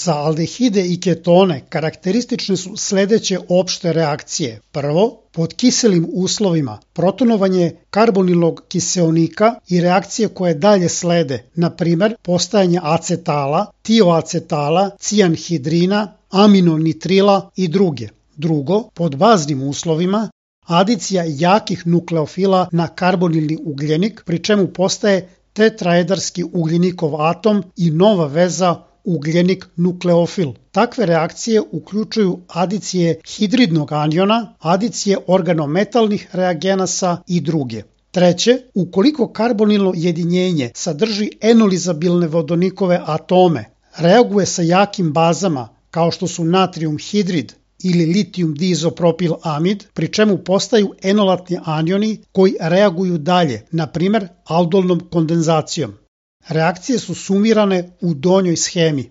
Za aldehide i ketone karakteristične su sledeće opšte reakcije. Prvo, pod kiselim uslovima protonovanje karbonilnog kiseonika i reakcije koje dalje slede, na primer postajanje acetala, tioacetala, cijanhidrina, aminonitrila i druge. Drugo, pod baznim uslovima adicija jakih nukleofila na karbonilni ugljenik, pri čemu postaje tetraedarski ugljenikov atom i nova veza ugljenik nukleofil. Takve reakcije uključuju adicije hidridnog aniona, adicije organometalnih reagenasa i druge. Treće, ukoliko karbonilno jedinjenje sadrži enolizabilne vodonikove atome, reaguje sa jakim bazama kao što su natrium hidrid ili litijum diizopropil amid, pri čemu postaju enolatni anioni koji reaguju dalje, na primer aldolnom kondenzacijom. Reakcije su sumirane u donjoj shemi.